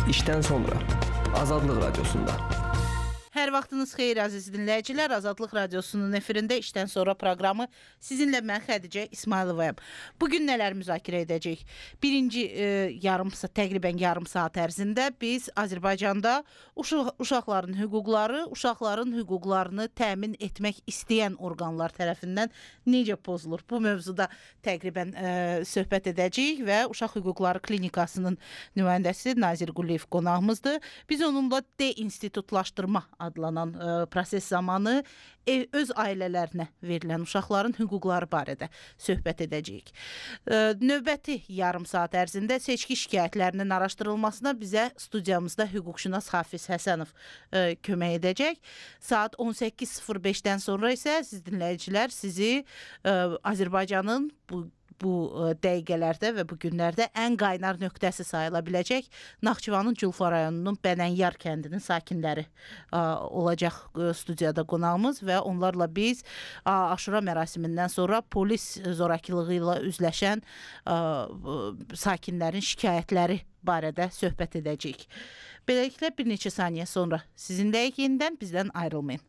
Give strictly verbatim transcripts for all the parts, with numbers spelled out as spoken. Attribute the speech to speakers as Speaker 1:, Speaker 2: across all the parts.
Speaker 1: İşten sonra Azadlıq Radiosunda.
Speaker 2: Hər vaxtınız xeyir əziz dinləyicilər. Azadlıq Radiosunun efirində işdən sonra proqramı sizinlə mən Xədicə İsmayılovayam. Bugün nələr müzakirə edəcəyik? Birinci e, yarım saat, təqribən yarım saat ərzində biz Azərbaycanda uşaq, uşaqların hüquqları, uşaqların hüquqlarını təmin etmək istəyən orqanlar tərəfindən necə pozulur? Bu mövzuda təqribən e, söhbət edəcəyik və Uşaq Hüquqları Klinikasının nümayəndəsi Nazir Quliyev qonağımızdır. Biz onunla deinstitutlaşdırma adlanan ə, proses zamanı ev, öz ailələrinə verilən uşaqların hüquqları barədə söhbət edəcəyik. Ə, növbəti yarım saat ərzində seçki şikayətlərinin araşdırılmasına bizə studiyamızda hüquqşünas Hafiz Həsənov ə, kömək edəcək. Saat on səkkiz sıfır beşdən sonra isə siz dinləyicilər sizi ə, Azərbaycanın bu bu dəqiqələrdə və bu günlərdə ən qaynar nöqtəsi sayıla biləcək Naxçıvanın Culfa rayonunun Bənənyar kəndinin sakinləri ə, olacaq ə, studiyada qonağımız və onlarla biz ə, Aşura mərasimindən sonra polis zorakılığı ilə üzləşən ə, sakinlərin şikayətləri barədə söhbət edəcəyik. Beləliklə bir neçə saniyə sonra sizinləyik, yenidən bizdən ayrılmayın.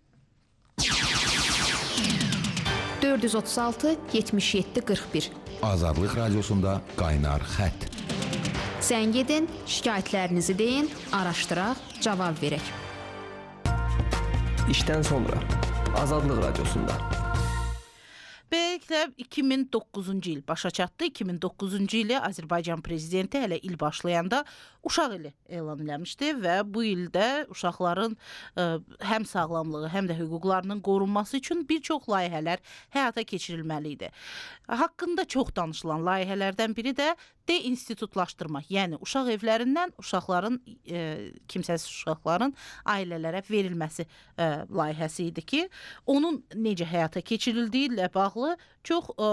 Speaker 3: dörd yüz otuz altı yetmiş yeddi qırx bir
Speaker 4: Azadlıq Radiosunda qaynar xətt.
Speaker 3: Zəng edin, şikayətlərinizi deyin, araşdıraq, cavab verək.
Speaker 1: İşdən sonra Azadlıq Radiosunda.
Speaker 2: Beləliklə iki min doqquzuncu il başa çatdı. iki min doqquzuncu ili Azərbaycan prezidenti hələ il başlayanda uşaq ili elan eləmişdi və bu ildə uşaqların ə, həm sağlamlığı, həm də hüquqlarının qorunması üçün bir çox layihələr həyata keçirilməli idi. Haqqında çox danışılan layihələrdən biri də deinstitutlaşdırma, yəni uşaq evlərindən uşaqların, e, kimsəsiz uşaqların ailələrə verilməsi e, layihəsi idi ki, onun necə həyata keçirildiyi ilə bağlı çox e,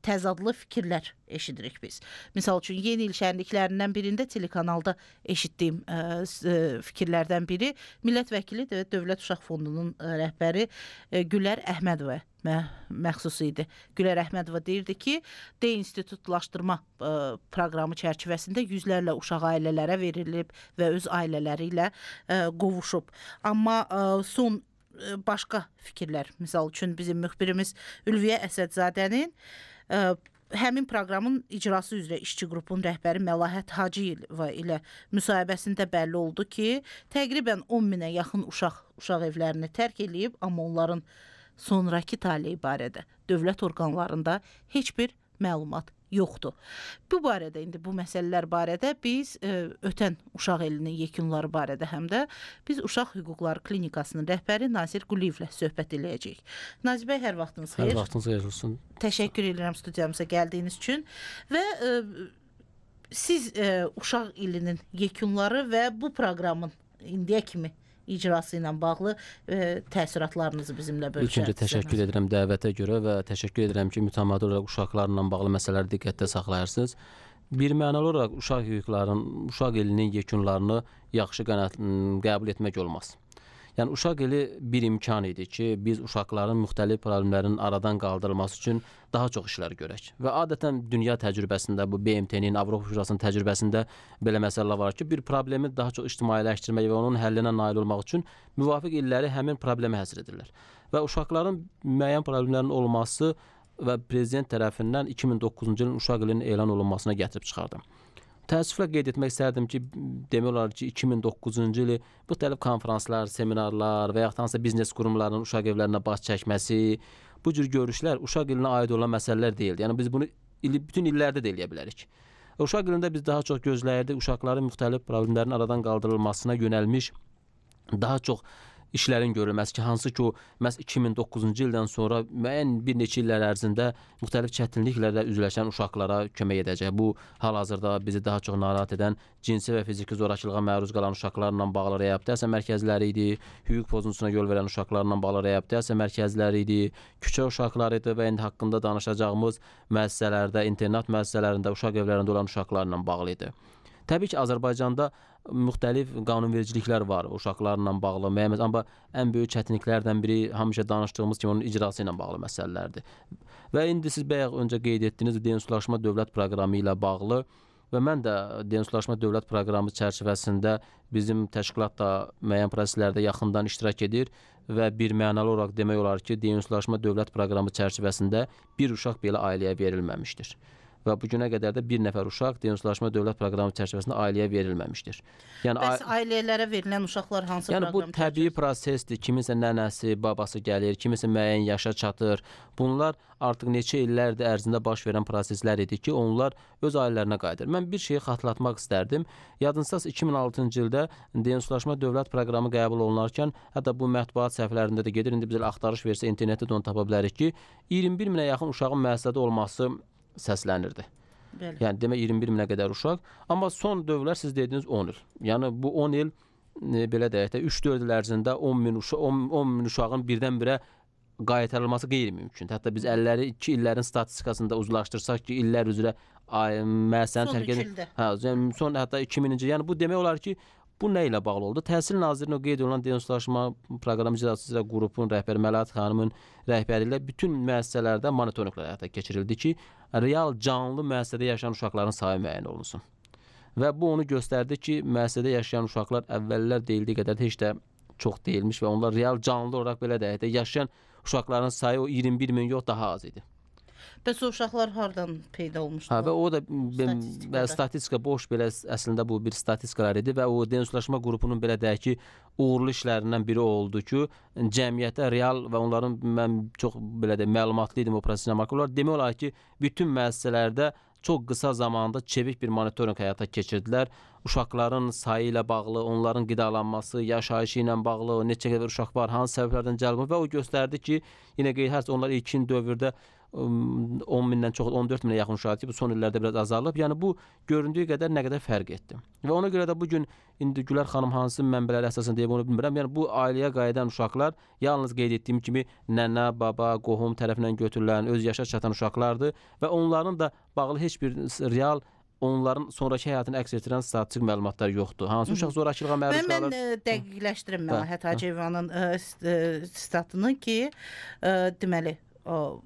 Speaker 2: təzadlı fikirlər eşidirik biz. Misal üçün, yeni il şənliklərindən birində telekanalda eşitdiyim ə, fikirlərdən biri Millət Vəkili və Dövlət Uşaq Fondunun ə, rəhbəri ə, Gülər Əhmədova mə, məxsus idi. Gülər Əhmədova deyirdi ki, deinstitutlaşdırma ə, proqramı çərçivəsində yüzlərlə uşaq ailələrə verilib və öz ailələri ilə ə, qovuşub. Amma ə, son ə, başqa fikirlər, misal üçün bizim müxbirimiz Ülviyə Əsədzadənin ə, həmin proqramın icrası üzrə işçi qrupun rəhbəri Məlahət Hacıyeva ilə müsahibəsində bəlli oldu ki, təqribən on minə yaxın uşaq uşaq evlərini tərk eləyib, amma onların sonraki taleyi barədə dövlət orqanlarında heç bir məlumat yoxdur. Bu barədə, indi bu məsələlər barədə biz ə, ötən uşaq elinin yekunları barədə həm də biz Uşaq Hüquqları Klinikasının rəhbəri Nazir Quliyevlə söhbət eləyəcəyik. Nazir bəy, hər vaxtınız xeyir.
Speaker 5: Hər vaxtınız xeyir olsun.
Speaker 2: Təşəkkür edirəm studiyamıza gəldiyiniz üçün və ə, siz ə, uşaq ilinin yekunları və bu proqramın indiyə kimi icrası ilə bağlı e, təəssüratlarınızı bizimlə bölüşərsiniz.
Speaker 5: İlk öncə təşəkkür edirəm dəvətə görə və təşəkkür edirəm ki, mütəmadi olaraq uşaqlarla bağlı məsələləri diqqətdə saxlayırsınız. Bir mənalı olaraq uşaq hüquqlarının, uşaq ilinin yekunlarını yaxşı qənaət, qəbul etmək olmaz. Yəni, uşaq ili bir imkan idi ki, biz uşaqların müxtəlif problemlərin aradan qaldırılması üçün daha çox işlər görək. Və adətən dünya təcrübəsində, bu B M T-nin, Avropa Şurasının təcrübəsində belə məsələlər var ki, bir problemi daha çox ictimailəşdirmək və onun həllinə nail olmaq üçün müvafiq illəri həmin problemi həsr edirlər. Və uşaqların müəyyən problemlərin olması və prezident tərəfindən iki min doqquzuncu ilin uşaq ilinin elan olunmasına gətirib çıxardım. Təəssüflə qeyd etmək istərdim ki, demək olar ki, iki min doqquzuncu ili müxtəlif konferanslar, seminarlar və yaxud hansısa biznes qurumlarının uşaq evlərinə baş çəkməsi, bu cür görüşlər uşaq ilinə aid olan məsələlər deyildi. Yəni biz bunu ili, bütün illərdə də eləyə bilərik. Uşaq ilində biz daha çox gözləyirdik uşaqların müxtəlif problemlərin aradan qaldırılmasına yönəlmiş daha çox işlərin görülməsi ki, hansı ki o məhz iki min doqquzuncu ildən sonra müəyyən bir neçə illər ərzində müxtəlif çətinliklərlə üzləşən uşaqlara kömək edəcək. Bu hal-hazırda bizi daha çox narahat edən cinsi və fiziki zorakılığa məruz qalan uşaqlarla bağlı reabilitasiya mərkəzləri idi, hüquq pozuntusuna yol verən uşaqlarla bağlı reabilitasiya mərkəzləri idi, küçə uşaqları idi və indi haqqında danışacağımız müəssisələrdə, internat müəssisələrində, uşaq evlərində olan uşaqlarla bağlı idi. Təbii ki, Azərbaycanda müxtəlif qanunvericiliklər var uşaqlarla bağlı, müəyyən, amma ən böyük çətinliklərdən biri həmişə danışdığımız kimi onun icrası ilə bağlı məsələlərdir. Və indi siz bayaq öncə qeyd etdiyiniz deinstitutlaşma dövlət proqramı ilə bağlı və mən də denonslaşma dövlət proqramı çərçivəsində bizim təşkilat da müəyyən proseslərdə yaxından iştirak edir və bir mənalı olaraq demək olar ki, denonslaşma dövlət proqramı çərçivəsində bir uşaq belə ailəyə verilməmişdir. Və bu günə qədər də bir nəfər uşaq denonslaşma dövlət proqramı çərçivəsində ailəyə verilməmişdir.
Speaker 2: Yəni Bəs ailələrə verilən uşaqlar hansı
Speaker 5: yəni,
Speaker 2: proqram?
Speaker 5: Yəni bu təbii prosesdir. Kiminsə nənəsi, babası gəlir, kiminsə müəyyən yaşa çatır. Bunlar artıq neçə illərdir ərzində baş verən proseslər idi ki, onlar öz ailələrinə qayıdır. Mən bir şeyi xatırlatmaq istərdim. Yadınızdasə iki min altıncı ildə denonslaşma dövlət proqramı qəbul olunarkən, hətta bu mətbuat səhifələrində də gedir. İndi biz axtarış versə internetdə də onu tapa bilərik ki, iyirmi bir minə yaxın uşağın müəssisədə olması səslənirdi.
Speaker 2: Bəli.
Speaker 5: Yəni demək iyirmi bir minə qədər uşaq, amma son dövrlər siz dediniz on il. Yəni bu on il e, belə deyək də üç dörd il ərzində on min uşaq on, on min uşağın birdən-birə qaytarılması qeyri-mümkündür. Hətta biz əlləri iki illərin statistikasında uzlaşdırsaq ki, illər üzrə müəssisəni tərk edən, hə, yəni son hətta iki mininci, yəni bu demək olar ki, bu nə ilə bağlı oldu? Təhsil Nazirliyinin qeyd olunan denonslaşma proqramı icraçısı üzrə qrupun rəhbəri Məlahət xanımın rəhbəri ilə bütün müəssisələrdə monitorinqlər həyata keçirildi ki, real canlı müəssisədə yaşayan uşaqların sayı müəyyən olunsun. Və bu onu göstərdi ki, müəssisədə yaşayan uşaqlar əvvəllər deyildiyi qədər heç də çox deyilmiş və onlar real canlı olaraq belə deyək də yaşayan uşaqların sayı o iyirmi bir min yox daha az idi.
Speaker 2: Bəs o uşaqlar hardan peyda olmuşdu?
Speaker 5: Hə, və o da statistika, statistika boş belə əslində bu bir statistikalar idi və o denonslaşma qrupunun belə deyək ki, uğurlu işlərindən biri oldu ki, cəmiyyətə real və onların mən çox belə də məlumatlı idim o prosesinə maraq olar. Demək olar ki, bütün müəssisələrdə çox qısa zamanda çevik bir monitorinq həyata keçirdilər. Uşaqların sayı ilə bağlı, onların qidalanması, yaşayışı ilə bağlı, neçə qədər uşaq var, hansı səbəblərdən cəlb və o göstərdi ki, yenə qeyd hər onlar ilkin dövrdə on mindən çox, on dörd minə yaxın uşaq ki, bu son illərdə biraz azalıb. Yəni bu göründüyü qədər nə qədər fərq etdi. Və ona görə də bu gün indi Gülər xanım hansı mənbələri əsasən deyib onu bilmirəm. Yəni bu ailəyə qayıdan uşaqlar yalnız qeyd etdiyim kimi nənə, baba, qohum tərəfindən götürülən, öz yaşa çatan uşaqlardır və onların da bağlı heç bir real onların sonraki həyatını əks etdirən statistik məlumatlar yoxdur. Hansı uşaq zorakılığa məruz qalır?
Speaker 2: Mən, mən dəqiqləşdirim Məlahət Hacıyevanın statını ki, ə, deməli, o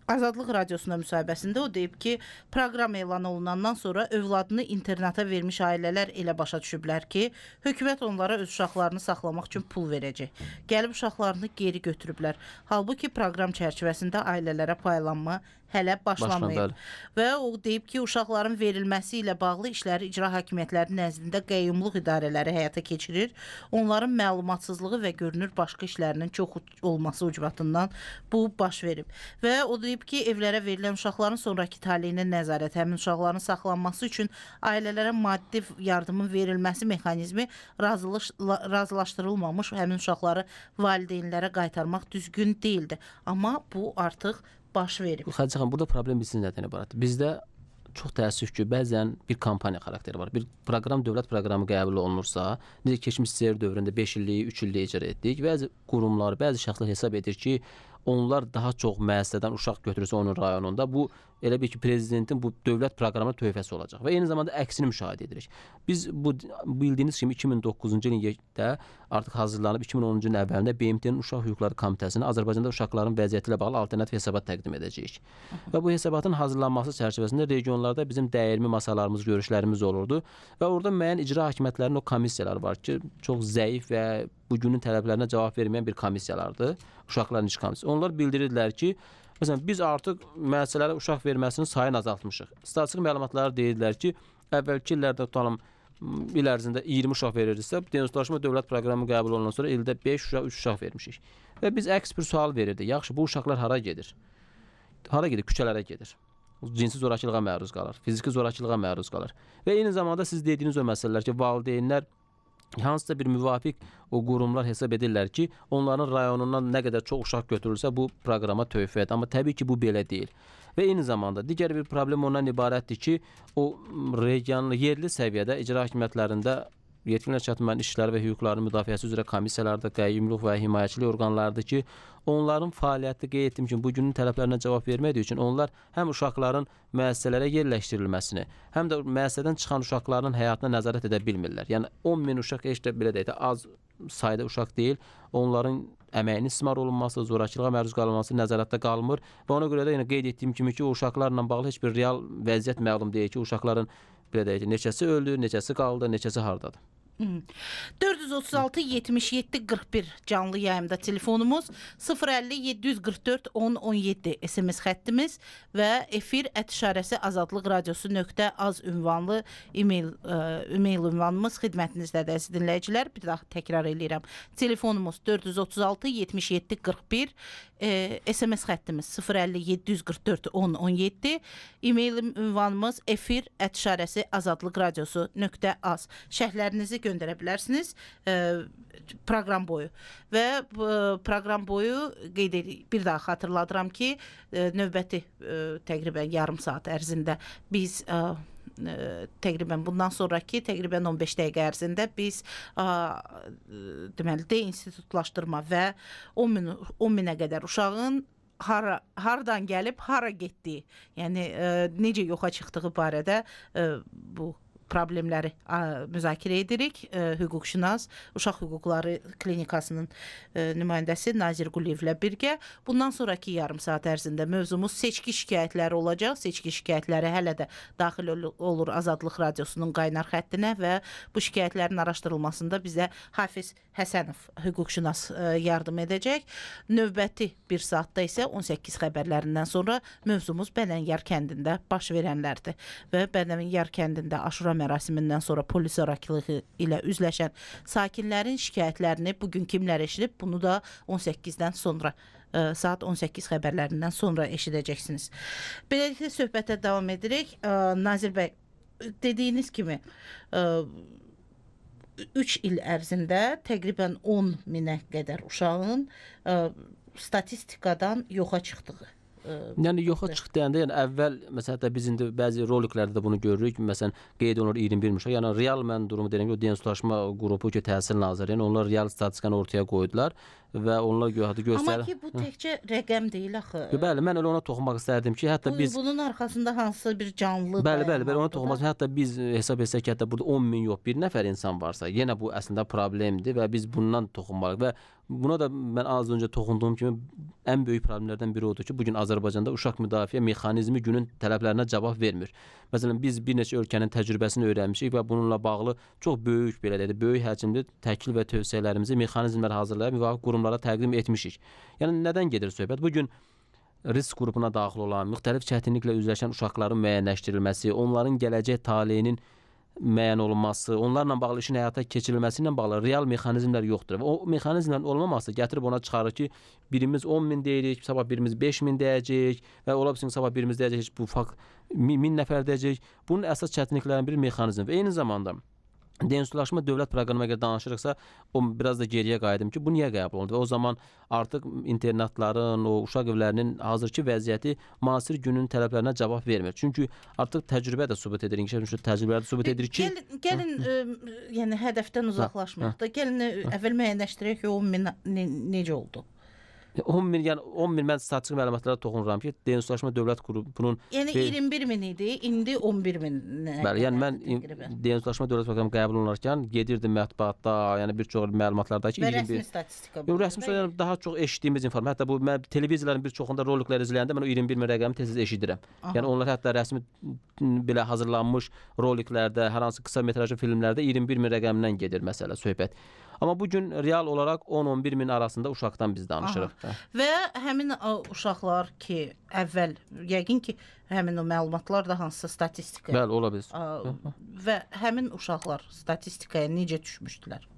Speaker 2: Azadlıq Radiosunda müsahibəsində o deyib ki, proqram elan olunandan sonra övladını internata vermiş ailələr elə başa düşüblər ki, hökumət onlara öz uşaqlarını saxlamaq üçün pul verəcək. Gəlib uşaqlarını geri götürüblər. Halbuki proqram çərçivəsində ailələrə paylanma hələ başlamayıb. Və o deyib ki, uşaqların verilməsi ilə bağlı işləri icra hakimiyyətlərinin nəzdində qəyyumluq idarələri həyata keçirir. Onların məlumatsızlığı və görünür başqa işlərinin çox olması ucbatından bu baş verib. Və o deyib ki, evlərə verilən uşaqların sonraki taleyinə nəzarət, həmin uşaqların saxlanması üçün ailələrə maddi yardımın verilməsi mexanizmi razılış, razılaşdırılmamış həmin uşaqları valideynlərə qaytarmaq düzgün deyildi. Amma bu artıq baş verib.
Speaker 5: Xədicə xanım, burada problem bilsin nədən ibarətdir. Bizdə çox təəssüf ki, bəzən bir kampaniya xarakteri var. Bir proqram, dövlət proqramı qəbul olunursa, necə keçmiş S S R dövründə beş illik, üç illik icra etdik. Bəzi qurumlar, bəzi şəxslər hesab edir ki, onlar daha çox müəssisədən uşaq götürürsə onun rayonunda, bu elə bir ki, prezidentin bu dövlət proqramına töhfəsi olacaq və eyni zamanda əksini müşahidə edirik. Biz bu bildiyiniz kimi iki min doqquzuncu ildə artıq hazırlanıb iki min onuncu ilin əvvəlində B M T-nin Uşaq Hüquqları Komitəsinə Azərbaycanda uşaqların vəziyyəti ilə bağlı alternativ hesabat təqdim edəcəyik. Və bu hesabatın hazırlanması çərçivəsində regionlarda bizim dəyirmi masalarımız, görüşlərimiz olurdu və orada müəyyən icra hakimiyyətlərinin o komissiyaları var ki, çox zəif və bugünün tələblərinə cavab verməyən bir komissiyalardır. Uşaqların iş komissiyası. Onlar bildirirdilər ki, məsələn, biz artıq müəssisələrə uşaq verməsinin sayını azaltmışıq. Statistik məlumatlar deyirlər ki, əvvəlki illərdə tutalım il ərzində iyirmi uşaq verirdisə, denonslaşma dövlət proqramı qəbul olunan sonra ildə beş uşaq, üç uşaq vermişik. Və biz əks bir sual verirdik. Yaxşı, bu uşaqlar hara gedir? Hara gedir? Küçələrə gedir. Cinsi zorakılığa məruz qalır, fiziki zorakılığa məruz qalır. Və eyni zamanda siz dediyiniz o məsələlər ki, valideynlər hansısa bir müvafiq o qurumlar hesab edirlər ki, onların rayonundan nə qədər çox uşaq götürülsə bu proqrama töhfədir. Amma təbii ki, bu belə deyil. Və eyni zamanda digər bir problem ondan ibarətdir ki, o regionlu, yerli səviyyədə icra hakimiyyətlərində yetkinlə çatmayan işləri və hüquqların müdafiəsi üzrə komissiyalarda qəyyumluq və himayəçilik orqanlarıdır ki, onların fəaliyyəti qeyd etdiyim kimi bugünün tələblərinə cavab vermədiyi üçün onlar həm uşaqların müəssisələrə yerləşdirilməsini, həm də müəssisədən çıxan uşaqların həyatına nəzarət edə bilmirlər. Yəni on min uşaq heç də belə deyək də az sayda uşaq deyil, onların əməyinin istismar olunması, zorakılığa məruz qalınması nəzarətdə qalmır və ona görə də yenə qeyd etdiyim kimi ki, o uşaqlarla bağlı heç bir real vəziyyət məlum deyil ki, uşaqların belə deyək ki, neçəsi öldü, neçəsi qaldı, neçəsi hardadır.
Speaker 2: dörd yüz otuz altı yetmiş yeddi qırx bir canlı yayımda telefonumuz, sıfır əlli yeddi yüz qırx dörd on on yeddi S M S xəttimiz və efir ət işarəsi azadlıq radiosu nöqtə az ünvanlı e-mail, e-mail ünvanımız xidmətinizdədir əziz dinləyicilər. Bir daha təkrar edirəm. Telefonumuz dörd yüz otuz altı yetmiş yeddi qırx bir, e, S M S xəttimiz sıfır əlli yeddi yüz qırx dörd on on yeddi, e-mail ünvanımız efir ət işarəsi azadlıq radiosu nöqtə az. Şərhlərinizi göndərə bilərsiniz e, proqram boyu və e, proqram boyu qeyd edir. Bir daha xatırladıram ki, e, növbəti e, təqribən yarım saat ərzində biz e, e, təqribən bundan sonraki təqribən on beş dəqiqə ərzində biz e, deməli deinstitutlaşdırma və on min, on minə qədər uşağın hara, hardan gəlib, hara getdiyi, yəni e, necə yoxa çıxdığı barədə e, bu problemləri ə, müzakirə edirik. Ə, hüquqşünas, Uşaq Hüquqları Klinikasının ə, nümayəndəsi Nazir Quliyevlə birgə. Bundan sonraki yarım saat ərzində mövzumuz seçki şikayətləri olacaq. Seçki şikayətləri hələ də daxil ol olur Azadlıq Radiosunun qaynar xəttinə və bu şikayətlərin araşdırılmasında bizə Hafiz Həsənov hüquqşünas ə, yardım edəcək. Növbəti bir saatda isə on səkkiz xəbərlərindən sonra mövzumuz Bənənyar kəndində baş verənlərdir və Bənənyar kəndində Aşura mərasimindən sonra polis zorakılığı ilə üzləşən sakinlərin şikayətlərini bugün kimlər eşidib, bunu da on səkkizdən sonra ə, saat on səkkiz xəbərlərindən sonra eşidəcəksiniz. Beləliklə söhbətə davam edirik. Ə, Nazir bəy, dediyiniz kimi ə, üç il ərzində təqribən on minə qədər uşağın ə, statistikadan yoxa çıxdığı.
Speaker 5: Yəni yoxa çıxdı deyəndə, yəni əvvəl məsələn hətta biz indi bəzi roliklərdə də bunu görürük. Məsələn qeyd olunur iyirmi bir uşaq. Yəni real mən durumu deyirəm ki, o Densuzlaşma qrupu ki, Təhsil Nazirliyi, yəni onlar real statistikanı ortaya qoydular və onlar göstərir.
Speaker 2: Amma ki bu təkcə rəqəm deyil axı.
Speaker 5: Bəli, mən elə ona toxunmaq istərdim ki, hətta
Speaker 2: bu,
Speaker 5: biz
Speaker 2: bunun arxasında hansısa bir canlı
Speaker 5: Bəli, bəli, bəli, ona toxunmaq. Hətta biz hesab etsək ki, hətta burada on min yox, bir nəfər insan varsa, yenə bu əslində problemdir və biz bundan toxunmalıyıq və buna da mən az öncə toxunduğum kimi ən böyük problemlərdən biri odur ki, bugün Azərbaycanda uşaq müdafiə mexanizmi günün tələblərinə cavab vermir. Məsələn, biz bir neçə ölkənin təcrübəsini öyrənmişik və bununla bağlı çox böyük belə deyək, böyük həcmli təklif və tövsiyələrimizi mexanizmlər hazırlayıb müvafiq qurumlara təqdim etmişik. Yəni nədən gedir söhbət? Bu gün risk qrupuna daxil olan, müxtəlif çətinliklə üzləşən uşaqların müəyyənləşdirilməsi, onların gələcək taleyinin müəyyən olunması, onlarla bağlı işin həyata keçirilməsi ilə bağlı real mexanizmlər yoxdur. Və o mexanizmlərin olmaması gətirib ona çıxarır ki, birimiz on min deyirik, sabah birimiz beş min deyəcək və ola bilsin sabah birimiz deyəcək, bu fakt min nəfər deyəcək. Bunun əsas çətinliklərindən biri mexanizm və eyni zamanda Densuzlaşma dövlət proqramına görə danışırıqsa, o biraz da geriyə qayıdım ki, bu niyə qəbul olundu və o zaman artıq internatların, o uşaq evlərinin hazırki vəziyyəti müasir günün tələblərinə cavab vermir. Çünki artıq təcrübə də sübut edir, inkişaf təcrübələr də sübut edir ki,
Speaker 2: gəlin, gəlin ə, yəni hədəfdən uzaqlaşmırıq da. Gəlin əvvəl müəyyənləşdirək ki, o min ne, necə oldu?
Speaker 5: on min, yəni on min mən statistik məlumatlara toxunuram ki, Densuzlaşma dövlət qrupunun
Speaker 2: yəni iyirmi bir min idi, indi on bir min.
Speaker 5: Bəli, yəni mən Densuzlaşma dövlət proqramı qəbul olunarkən gedirdim mətbuatda, yəni bir çox məlumatlarda ki,
Speaker 2: və rəsmi statistika.
Speaker 5: Yox, rəsmi statistika daha çox eşitdiyimiz informasiya. Hətta bu mən televiziyaların bir çoxunda roliklər izləyəndə mən o iyirmi bir min rəqəmi tez-tez eşidirəm. Aha. Yəni onlar hətta rəsmi belə hazırlanmış roliklərdə, hər hansı qısa metrajlı filmlərdə iyirmi bir min rəqəmindən gedir məsələ, söhbət. Amma bu gün real olaraq on on bir min arasında uşaqdan biz danışırıq. Aha.
Speaker 2: Və həmin o, uşaqlar ki, əvvəl yəqin ki, həmin o məlumatlar da hansısa statistika.
Speaker 5: Bəli, ola bilər.
Speaker 2: Ə, və həmin uşaqlar statistikaya necə düşmüşdülər?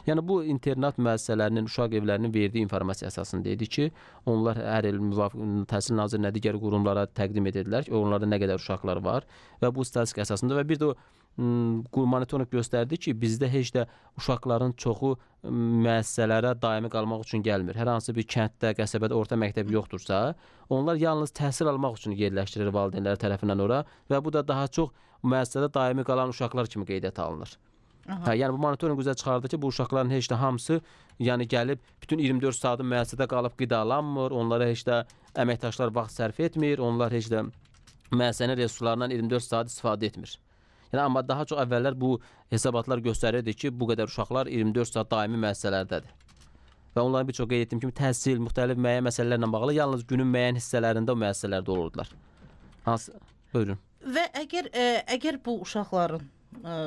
Speaker 5: Yəni bu internat müəssisələrinin, uşaq evlərinin verdiyi informasiya əsasında idi ki, onlar hər il müvafiq Təhsil Nazirliyinə digər qurumlara təqdim edirlər ki, onlarda nə qədər uşaqlar var və bu statistika əsasında və bir də o monitorinq göstərdi ki, bizdə heç də uşaqların çoxu müəssisələrə daimi qalmaq üçün gəlmir. Hər hansı bir kənddə, qəsəbədə orta məktəb yoxdursa, onlar yalnız təhsil almaq üçün yerləşdirilir valideynləri tərəfindən ora və bu da daha çox müəssisədə daimi qalan uşaqlar kimi qeydiyyata alınır. Hə, yəni bu monitorinq üzə çıxardı ki, bu uşaqların heç də hamısı, yəni gəlib bütün iyirmi dörd saatı müəssisədə qalıb qidalanmır, onlara heç də əməkdaşlar vaxt sərf etmir, onlar heç də müəssisənin resurslarından iyirmi dörd saat istifadə etmir. Yəni amma daha çox əvvəllər bu hesabatlar göstərirdi ki, bu qədər uşaqlar iyirmi dörd saat daimi müəssisələrdədir. Və onların bir çox qeyd etdiyim kimi təhsil, müxtəlif müəyyən məsələlərlə bağlı yalnız günün müəyyən hissələrində o müəssisələrdə olurdular. Hansı? Buyurun.
Speaker 2: Və əgər ə, əgər bu uşaqların ə,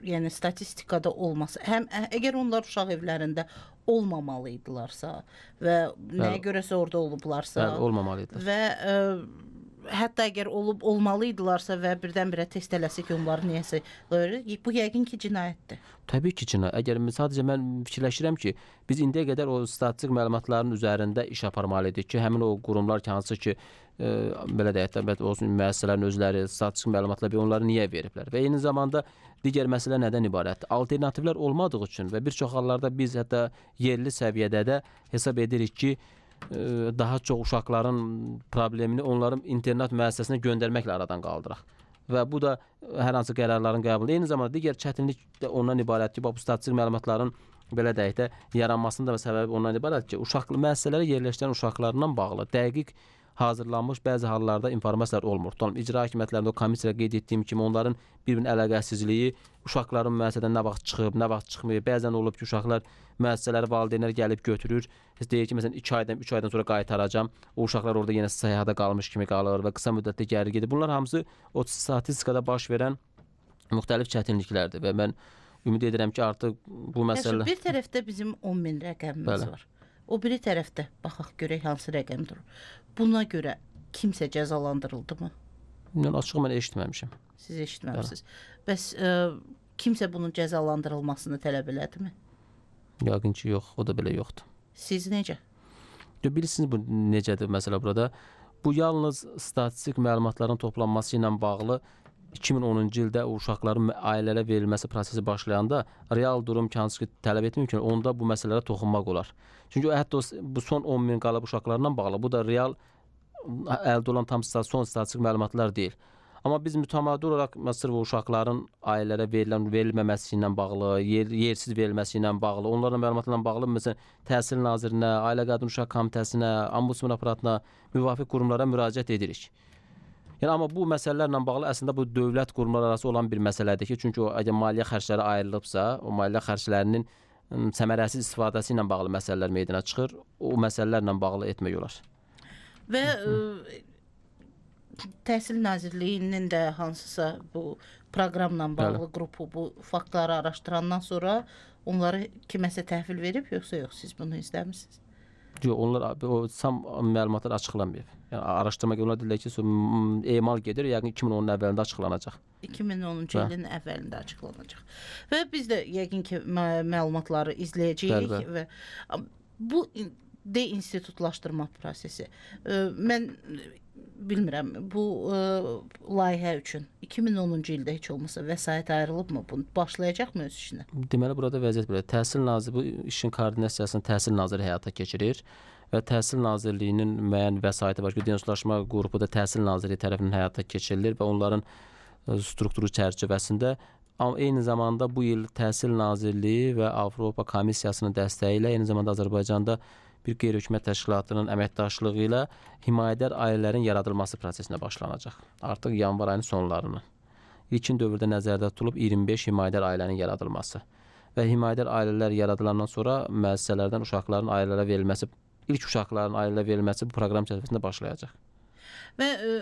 Speaker 2: yəni statistikada olmasa, həm ə, əgər onlar uşaq evlərində olmamalı idilərsə və nəyə görəsə orada olublarsa,
Speaker 5: Bəli, olmamalı idilər.
Speaker 2: və ə, hətta əgər olub olmalı idilərsə və birdən-birə test eləsə ki, onları niyəsə bu yəqin ki, cinayətdir.
Speaker 5: Təbii ki, cinayət. Əgər sadəcə mən fikirləşirəm ki, biz indiyə qədər o statistik məlumatların üzərində iş aparmalıyıq ki, həmin o qurumlar ki, hansı ki, e, belə deyək də, olsun müəssisələrin özləri statistik məlumatlar onları niyə veriblər? Və eyni zamanda digər məsələ nədən ibarətdir? Alternativlər olmadığı üçün və bir çox hallarda biz hətta yerli səviyyədə də hesab edirik ki, daha çox uşaqların problemini onların internat müəssisəsinə göndərməklə aradan qaldıraq. Və bu da hər hansı qərarların qəbulu. Eyni zamanda digər çətinlik də ondan ibarətdir ki, bu statistik məlumatların belə deyək də yaranmasının da səbəbi ondan ibarətdir ki, uşaq müəssisələrə yerləşdirən uşaqlarla bağlı dəqiq hazırlanmış bəzi hallarda informasiyalar olmur. Tutalım, icra hakimiyyətlərində o komissiyada qeyd etdiyim kimi onların bir-birinin əlaqəsizliyi, uşaqların müəssisədən nə vaxt çıxıb, nə vaxt çıxmıyor. Bəzən olub ki, uşaqlar müəssisələri valideynlər gəlib götürür. Deyir ki, məsələn iki aydan, üç aydan sonra qaytaracağam. O uşaqlar orada yenə səyahətə qalmış kimi qalır və qısa müddətdə geri gedir. Bunlar hamısı o statistikada baş verən müxtəlif çətinliklərdir və mən ümid edirəm ki, artıq bu məsələ...
Speaker 2: Bir tərəfdə bizim on min rəqəmimiz Bəli. var. O biri tərəfdə baxaq görək hansı rəqəmdir. Buna görə kimsə cəzalandırıldı mı?
Speaker 5: Yəni açıq mən eşitməmişəm.
Speaker 2: Siz eşitməmisiniz. Bəs ə, kimsə bunun cəzalandırılmasını tələb elədimi?
Speaker 5: Yəqin ki, yox, o da belə yoxdur.
Speaker 2: Siz necə?
Speaker 5: Bilirsiniz bu necədir məsələ burada? Bu yalnız statistik məlumatların toplanması ilə bağlı iki min onuncu ildə uşaqların ailələrə verilməsi prosesi başlayanda real durum ki, hansı ki tələb etmir ki, onda bu məsələlərə toxunmaq olar. Çünki hətta o, bu son on min qalıb uşaqlarla bağlı, bu da real əldə olan tam son statistik məlumatlar deyil. Amma biz mütəmadi olaraq məsələn bu uşaqların ailələrə verilən verilməməsi ilə bağlı, yer, yersiz verilməsi ilə bağlı, onların məlumatlarla bağlı məsələn Təhsil Nazirinə, Ailə Qadın Uşaq Komitəsinə, Ombudsman aparatına, müvafiq qurumlara müraciət edirik. Yəni amma bu məsələlərlə bağlı əslində bu dövlət qurumları arası olan bir məsələdir ki, çünki o əgər maliyyə xərcləri ayrılıbsa, o maliyyə xərclərinin səmərəsiz istifadəsi ilə bağlı məsələlər meydana çıxır. O məsələlərlə bağlı etmək olar.
Speaker 2: Və ə, Təhsil Nazirliyinin də hansısa bu proqramla bağlı Bəli. qrupu bu faktları araşdırandan sonra onları kiməsə təhvil verib, yoxsa yox, siz bunu izləmisiniz?
Speaker 5: Yox, onlar o tam məlumatlar açıqlanmayıb. Yəni araşdırma onlar deyirlər ki, emal gedir, yəqin iki min onun əvvəlində açıqlanacaq.
Speaker 2: iki min onuncu ilin əvvəlində açıqlanacaq. Və biz də yəqin ki məlumatları izləyəcəyik Bəli. və bu deinstitutlaşdırma prosesi. Mən bilmirəm, bu ə, layihə üçün iki min onuncu ildə heç olmasa vəsait ayrılıbmı? Bu başlayacaqmı öz işinə?
Speaker 5: Deməli burada vəziyyət belə. Təhsil Naziri bu işin koordinasiyasını Təhsil Naziri həyata keçirir və Təhsil Nazirliyinin müəyyən vəsaiti var ki, deinstitutlaşma qrupu da Təhsil Nazirliyi tərəfindən həyata keçirilir və onların strukturu çərçivəsində amma eyni zamanda bu il Təhsil Nazirliyi və Avropa Komissiyasının dəstəyi ilə eyni zamanda Azərbaycanda bir qeyri-hökumət təşkilatının əməkdaşlığı ilə himayədar ailələrin yaradılması prosesinə başlanacaq. Artıq yanvar ayının sonlarını. İlkin dövrdə nəzərdə tutulub iyirmi beş himayədar ailənin yaradılması və himayədar ailələr yaradılandan sonra müəssisələrdən uşaqların ailələrə verilməsi, ilk uşaqların ailələrə verilməsi bu proqram çərçivəsində başlayacaq.
Speaker 2: Və ə,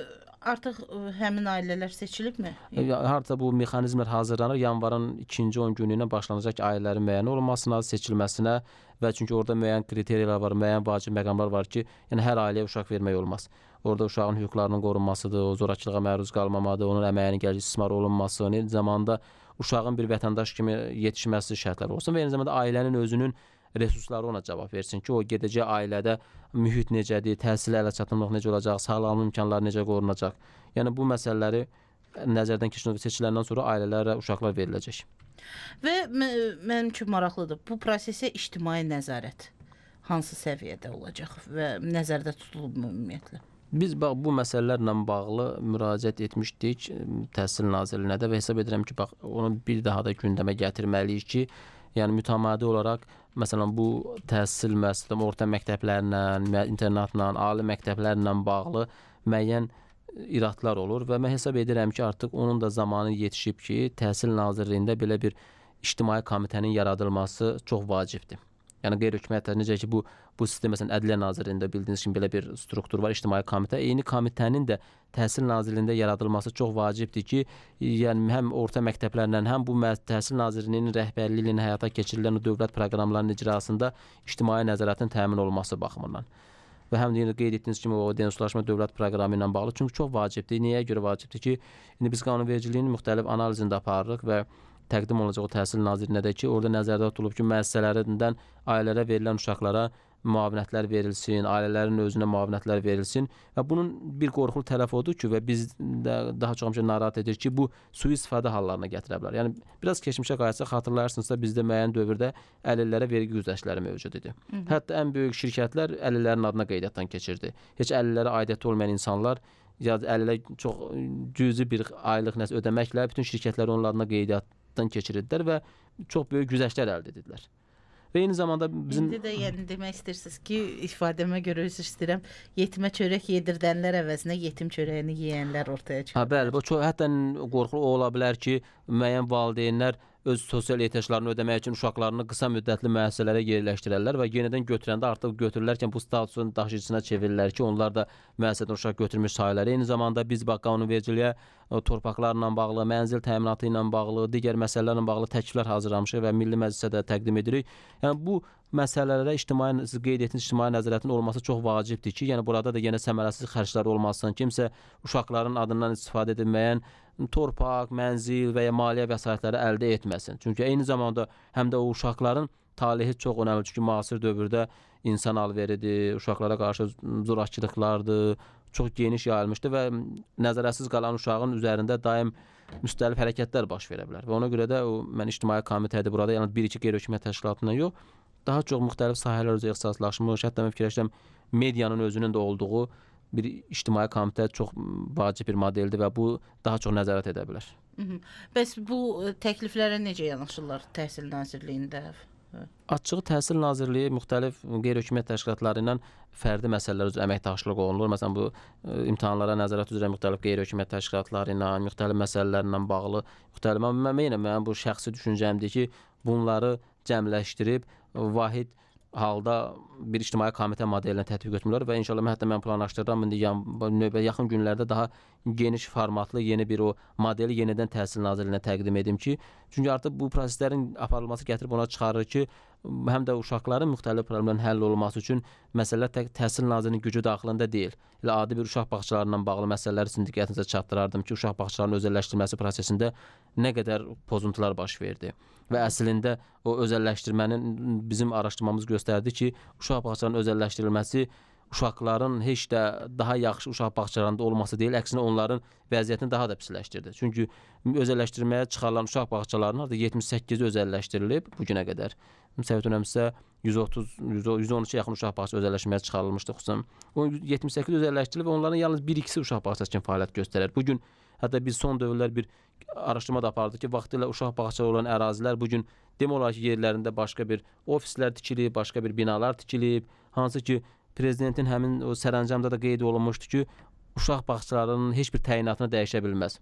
Speaker 2: artıq ə, həmin ailələr seçilibmi?
Speaker 5: Harca bu mexanizmlər hazırlanır. Yanvarın ikinci on günü ilə başlanacaq ki, ailələrin müəyyən olmasına, seçilməsinə və çünki orada müəyyən kriteriyalar var, müəyyən vacib məqamlar var ki, yəni hər ailəyə uşaq vermək olmaz. Orada uşağın hüquqlarının qorunmasıdır, o zorakılığa məruz qalmamadır, onun əməyinin gələcək istismar olunması, eyni zamanda uşağın bir vətəndaş kimi yetişməsi şərtləri olsun və eyni zamanda ailənin özünün resursları ona cavab versin ki, o gedəcək ailədə mühit necədir, təhsilə ələ çatımlıq necə olacaq, sağlamlıq imkanları necə qorunacaq. Yəni bu məsələləri nəzərdən keçirilib seçiləndən sonra ailələrə uşaqlar veriləcək.
Speaker 2: Və mənim üçün maraqlıdır. Bu prosesə ictimai nəzarət hansı səviyyədə olacaq və nəzərdə tutulub ümumiyyətlə?
Speaker 5: Biz bax bu məsələlərlə bağlı müraciət etmişdik Təhsil Nazirliyinə də və hesab edirəm ki, bax onu bir daha da gündəmə gətirməliyik ki, yəni mütəmadi olaraq məsələn bu təhsil müəssisələri, orta məktəblərlə, internatla, ali məktəblərlə bağlı müəyyən iradlar olur və mən hesab edirəm ki, artıq onun da zamanı yetişib ki, Təhsil Nazirliyində belə bir ictimai komitənin yaradılması çox vacibdir. Yəni qeyri-hökumətlər necə ki bu bu sistem məsələn Ədliyyə Nazirliyində bildiyiniz kimi belə bir struktur var, ictimai komitə. Eyni komitənin də Təhsil Nazirliyində yaradılması çox vacibdir ki, yəni həm orta məktəblərlə, həm bu Təhsil Nazirliyinin rəhbərliyi ilə həyata keçirilən dövlət proqramlarının icrasında ictimai nəzarətin təmin olunması baxımından. Və həm də yenə qeyd etdiyiniz kimi o denonsuzlaşma dövlət proqramı ilə bağlı, çünki çox vacibdir. Nəyə görə vacibdir ki, indi biz qanunvericiliyin müxtəlif analizində aparırıq və təqdim olunacaq o Təhsil Nazirliyinə də ki, orada nəzərdə tutulub ki, müəssisələrindən ailələrə verilən uşaqlara müavinətlər verilsin, ailələrin özünə müavinətlər verilsin və bunun bir qorxulu tərəfi odur ki, və biz də daha çox həmişə narahat edir ki, bu sui-istifadə hallarına gətirə bilər. Yəni biraz keçmişə qayıtsaq, xatırlayarsınızsa bizdə müəyyən dövrdə əlillərə vergi güzəştləri mövcud idi. Hı -hı. Hətta ən böyük şirkətlər əlillərin adına qeydiyyatdan keçirdi. Heç əlillərə aidiyyəti olmayan insanlar ya əlillər çox cüzi bir aylıq nəsə ödəməklə bütün şirkətlər onun adına qeydiyyatdan keçirdilər və çox böyük güzəştlər əldə etdilər. Və eyni zamanda bizim...
Speaker 2: İndi də yəni demək istəyirsiniz ki, ifadəmə görə üzr istəyirəm, yetimə çörək yedirdənlər əvəzinə yetim çörəyini yeyənlər ortaya çıxır.
Speaker 5: Ha, bəli, bu çox, hətta qorxulu ola bilər ki, müəyyən valideynlər öz sosial ehtiyaclarını ödəmək üçün uşaqlarını qısa müddətli müəssisələrə yerləşdirərlər və yenidən götürəndə artıq götürülərkən bu statusun daşıyıcısına çevirirlər ki, onlar da müəssisədən uşaq götürmüş sayılar. Eyni zamanda biz bax qanunvericiliyə torpaqlarla bağlı, mənzil təminatı ilə bağlı, digər məsələlərlə bağlı təkliflər hazırlamışıq və Milli Məclisə də təqdim edirik. Yəni bu məsələlərə ictimai, siz qeyd etdiyiniz ictimai nəzarətin olması çox vacibdir ki, yəni burada da yenə səmərəsiz xərclər olmasın. Kimsə uşaqların adından istifadə edilməyən torpaq, mənzil və ya maliyyə vəsaitləri əldə etməsin. Çünki eyni zamanda həm də o uşaqların talehi çox önəmlidir. Çünki müasir dövrdə insan alveridir, uşaqlara qarşı zorakılıqlardır, çox geniş yayılmışdır və nəzarətsiz qalan uşağın üzərində daim müxtəlif hərəkətlər baş verə bilər. Və ona görə də o, mən ictimai komitədir burada, yəni bir-iki qeyri-hökumət təşkilatından yox, daha çox müxtəlif sahələr üzrə ixtisaslaşmış, hətta mən fikirləşirəm medianın özünün də olduğu bir ictimai komitə çox vacib bir modeldir və bu daha çox nəzarət edə bilər.
Speaker 2: Hı -hı. Bəs bu təkliflərə necə yanaşırlar Təhsil Nazirliyində?
Speaker 5: Açığı Təhsil Nazirliyi müxtəlif qeyri-hökumət təşkilatları ilə fərdi məsələlər üzrə əməkdaşlıq olunur. Məsələn, bu imtahanlara nəzarət üzrə müxtəlif qeyri-hökumət təşkilatları ilə, müxtəlif məsələlərlə bağlı, müxtəlif, mən, mən, mən bu şəxsi düşüncəmdir ki, bunları cəmləşdirib vahid halda bir ictimai komitə modelinə tətbiq etmirlər və inşallah hətta mən planlaşdırıram indi növbə yaxın günlərdə daha geniş formatlı yeni bir o modeli yenidən Təhsil Nazirliyinə təqdim edim ki, çünki artıq bu proseslərin aparılması gətirib ona çıxarır ki, həm də uşaqların müxtəlif problemlərin həll olunması üçün məsələlər tək Təhsil Nazirliyinin gücü daxilində deyil. Elə adi bir uşaq bağçalarından bağlı məsələləri sizin diqqətinizə çatdırardım ki, uşaq bağçalarının özəlləşdirilməsi prosesində nə qədər pozuntular baş verdi. Və əslində o özəlləşdirmənin bizim araşdırmamız göstərdi ki, uşaq bağçalarının özəlləşdirilməsi uşaqların heç də daha yaxşı uşaq bağçalarında olması deyil, əksinə onların vəziyyətini daha da pisləşdirdi. Çünki özəlləşdirməyə çıxarılan uşaq bağçalarının artıq yetmiş səkkizi özəlləşdirilib bu günə qədər. Səhv etmirəmsə yüz otuz yüz on üçə yaxın uşaq bağçası özəlləşdirməyə çıxarılmışdı xüsusən. O yetmiş səkkiz özəlləşdirilib və onların yalnız bir ikisi uşaq bağçası kimi fəaliyyət göstərir. Bu gün hətta biz son dövrlər bir araşdırma da apardıq ki, vaxtilə uşaq bağçaları olan ərazilər bu gün demək olar ki, yerlərində başqa bir ofislər tikilib, başqa bir binalar tikilib, hansı ki prezidentin həmin o sərəncamda da qeyd olunmuşdu ki, uşaq bağçalarının heç bir təyinatını dəyişə bilməz.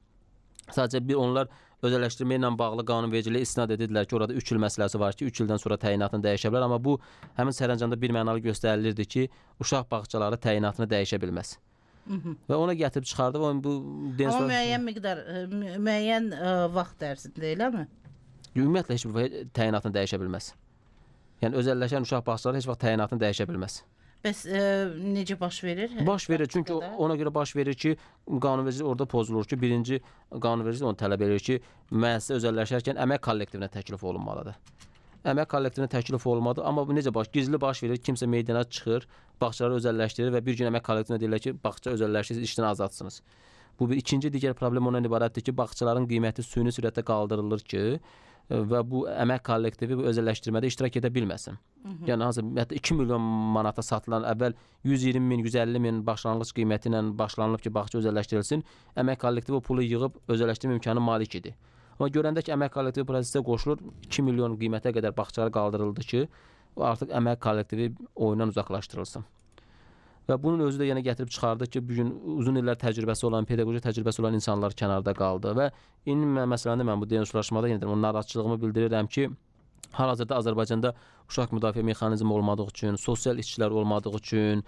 Speaker 5: Sadəcə bir onlar özəlləşdirmə ilə bağlı qanunvericiliyə istinad edirlər ki, orada üç il məsələsi var ki, üç ildən sonra təyinatını dəyişə bilər, amma bu həmin sərəncamda bir mənalı göstərilirdi ki, uşaq bağçaları təyinatını dəyişə bilməz. Hı -hı. Və ona gətirib çıxardı və bu
Speaker 2: Amma müəyyən miqdar, müəyyən ə, vaxt ərzində, eləmi?
Speaker 5: Ümumiyyətlə heç bir təyinatını dəyişə bilməz. Yəni özəlləşən uşaq bağçaları heç vaxt təyinatını dəyişə bilməz.
Speaker 2: Bəs ə, necə baş verir?
Speaker 5: Baş verir, çünki ona görə baş verir ki, qanunvericilik orada pozulur ki, birinci qanunvericilik onu tələb edir ki, müəssisə özəlləşərkən əmək kollektivinə təklif olunmalıdır. Əmək kollektivinə təklif olmadı, amma bu necə baş, gizli baş verir, kimsə meydana çıxır, bağçaları özəlləşdirir və bir gün əmək kollektivinə deyirlər ki, bağça özəlləşdirsiniz, işdən azadsınız. Bu bir ikinci digər problem ondan ibarətdir ki, bağçaların qiyməti süni sürətdə qaldırılır ki, və bu əmək kollektivi bu özəlləşdirmədə iştirak edə bilməsin. Hı -hı. Yəni hansı hətta iki milyon manata satılan əvvəl yüz iyirmi min, yüz əlli min başlanğıc qiyməti ilə başlanılıb ki, bağça özəlləşdirilsin, əmək kollektivi o pulu yığıb özəlləşdirmə imkanı malik idi. Amma görəndə ki, əmək kollektivi prosesə qoşulur, iki milyon qiymətə qədər bağçalar qaldırıldı ki, artıq əmək kollektivi oyundan uzaqlaşdırılsın. Və bunun özü də yenə gətirib çıxardı ki, bugün uzun illər təcrübəsi olan, pedaqoji təcrübəsi olan insanlar kənarda qaldı və indi məsələndə mən bu denonsuzlaşmada yenə də o narahatçılığımı bildirirəm ki, Hal-hazırda Azərbaycanda uşaq müdafiə mexanizmi olmadığı üçün, sosial işçilər olmadığı üçün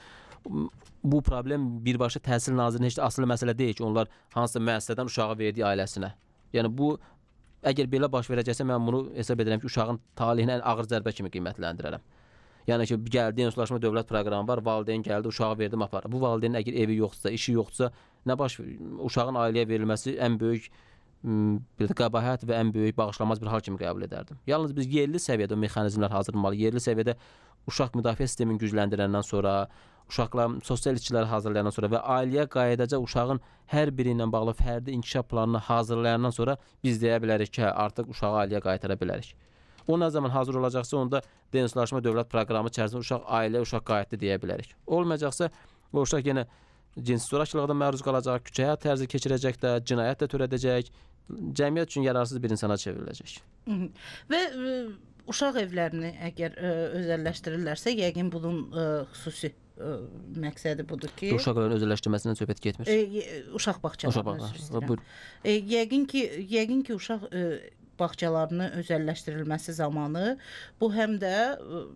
Speaker 5: bu problem birbaşa Təhsil Nazirinin heç də asılı məsələ deyil ki, onlar hansısa müəssisədən uşağı verdiyi ailəsinə. Yəni bu əgər belə baş verəcəksə mən bunu hesab edirəm ki, uşağın taleyini ən ağır zərbə kimi qiymətləndirərəm. Yəni ki, gəldi ensuzlaşma dövlət proqramı var, valideyn gəldi, uşağı verdim, aparır. Bu valideynin əgər evi yoxdursa, işi yoxdursa, nə baş uşağın ailəyə verilməsi ən böyük bir də qəbahət və ən böyük bağışlanmaz bir hal kimi qəbul edərdim. Yalnız biz yerli səviyyədə o mexanizmlər hazırlamalı, yerli səviyyədə uşaq müdafiə sistemini gücləndirəndən sonra, uşaqlar sosial işçiləri hazırlayandan sonra və ailəyə qayıdacaaq uşağın hər biri ilə bağlı fərdi inkişaf planını hazırlayandan sonra biz deyə bilərik ki, artıq uşağı ailəyə qaytara bilərik. O nə zaman hazır olacaqsa, onda ensuzlaşma dövlət proqramı içərisində uşaq ailə, uşaq qayıtdı deyə bilərik. Olmayacaqsa, o uşaq yenə cinsi zorakılığa məruz qalacaq, küçə həyat tərzi keçirəcək də, cinayət də törədəcək, cəmiyyət üçün yararsız bir insana çevriləcək.
Speaker 2: Və ə, uşaq evlərini əgər ə, özəlləşdirirlərsə, yəqin bunun ə, xüsusi ə, məqsədi budur ki,
Speaker 5: uşaqların özəlləşdirməsindən söhbət getmir.
Speaker 2: E, uşaq bağçalarını
Speaker 5: uşaq
Speaker 2: e, yəqin ki, yəqin ki uşaq e, bağçalarının özəlləşdirilməsi zamanı bu həm də e,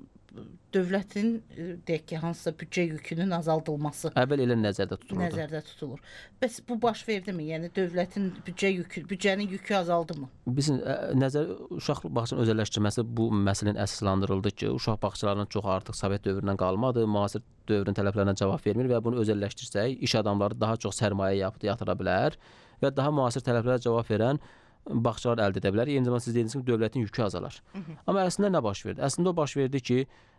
Speaker 2: dövlətin e, deyək ki, hansısa büdcə yükünün azaldılması
Speaker 5: əvvəl elə nəzərdə tutulur.
Speaker 2: Nəzərdə tutulur. Bəs bu baş verdimi? Yəni dövlətin büdcə yükü, büdcənin yükü azaldımı?
Speaker 5: Bizim ə, nəzər uşaq bağçalarının özəlləşdirməsi bu məsələnin əsaslandırıldı ki, uşaq bağçalarının çox artıq Sovet dövründən qalmadı, müasir dövrün tələblərinə cavab vermir və bunu özəlləşdirsək, iş adamları daha çox sərmayə yapıb yatıra bilər və daha müasir tələblərə cavab verən bağçalar əldə edə bilər. Eyni zamanda siz dediyiniz kimi dövlətin yükü azalar. Hı -hı. Amma əslində nə baş verdi? Əslində o baş verdi ki,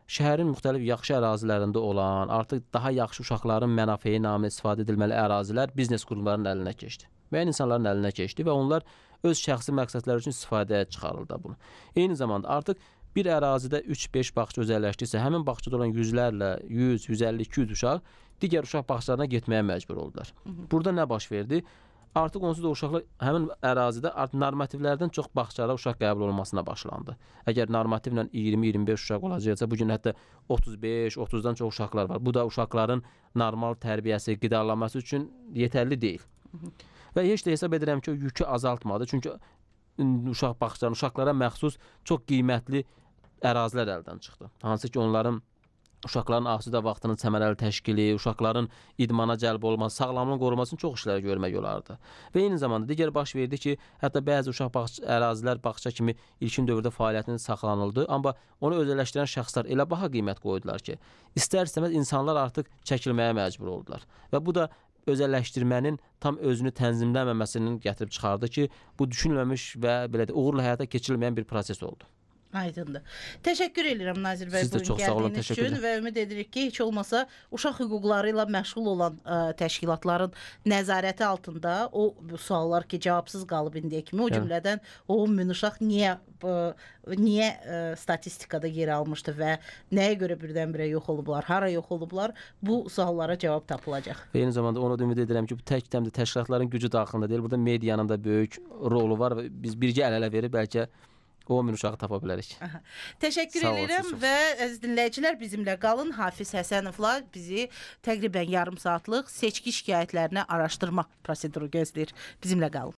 Speaker 5: şəhərin müxtəlif yaxşı ərazilərində olan, artıq daha yaxşı uşaqların mənafeyi naminə istifadə edilməli ərazilər biznes qurumlarının əlinə keçdi. Müəyyən insanların əlinə keçdi və onlar öz şəxsi məqsədləri üçün istifadəyə çıxarıldı bunu. Eyni zamanda artıq bir ərazidə üç beş bağça özəlləşdirsə, həmin bağçada olan yüzlərlə, yüz, yüz əlli, iki yüz uşaq digər uşaq bağçalarına getməyə məcbur oldular. Hı -hı. Burada nə baş verdi? Artıq onsuz da uşaqlar həmin ərazidə artıq normativlərdən çox bağçalara uşaq qəbul olunmasına başlandı. Əgər normativlə iyirmi iyirmi beş uşaq olacaqsa, bu gün hətta otuz beş otuzdan çox uşaqlar var. Bu da uşaqların normal tərbiyəsi, qidalanması üçün yetərli deyil. Hı -hı. Və heç də hesab edirəm ki, o yükü azaltmadı. Çünki uşaq bağçalarının uşaqlara məxsus çox qiymətli ərazilər əldən çıxdı. Hansı ki, onların uşaqların asudə vaxtının səmərəli təşkili, uşaqların idmana cəlb olması, sağlamlığın qorunması üçün çox işlər görmək olardı. Və eyni zamanda digər baş verdi ki, hətta bəzi uşaq bağça, ərazilər bağça kimi ilkin dövrdə fəaliyyətinin saxlanıldı, amma onu özəlləşdirən şəxslər elə baha qiymət qoydular ki, istər-istəməz insanlar artıq çəkilməyə məcbur oldular. Və bu da özəlləşdirmənin tam özünü tənzimləməməsinin gətirib çıxardı ki, bu düşünülməmiş və belə də uğurla həyata keçirilməyən bir proses oldu.
Speaker 2: Aydındır. Təşəkkür edirəm Nazir bəy
Speaker 5: Siz də
Speaker 2: bugün
Speaker 5: çox sağ olun,
Speaker 2: gəldiyiniz
Speaker 5: təşəkkür
Speaker 2: üçün və ümid edirik ki, heç olmasa uşaq hüquqları ilə məşğul olan ə, təşkilatların nəzarəti altında o bu suallar ki, cavabsız qalıb indiyə kimi, o cümlədən o min uşaq niyə ə, niyə ə, statistikada yer almışdı və nəyə görə birdən-birə yox olublar, hara yox olublar, bu suallara cavab tapılacaq.
Speaker 5: Və eyni zamanda onu da ümid edirəm ki, bu tək təmdə təşkilatların gücü daxilində deyil, burada medianın da böyük rolu var və biz birgə əl-ələ verib bəlkə o min uşağı tapa bilərik.
Speaker 2: Aha. Təşəkkür edirəm və əziz dinləyicilər bizimlə qalın. Hafiz Həsənovla bizi təqribən yarım saatlıq seçki şikayətlərini araşdırma proseduru gözləyir. Bizimlə qalın.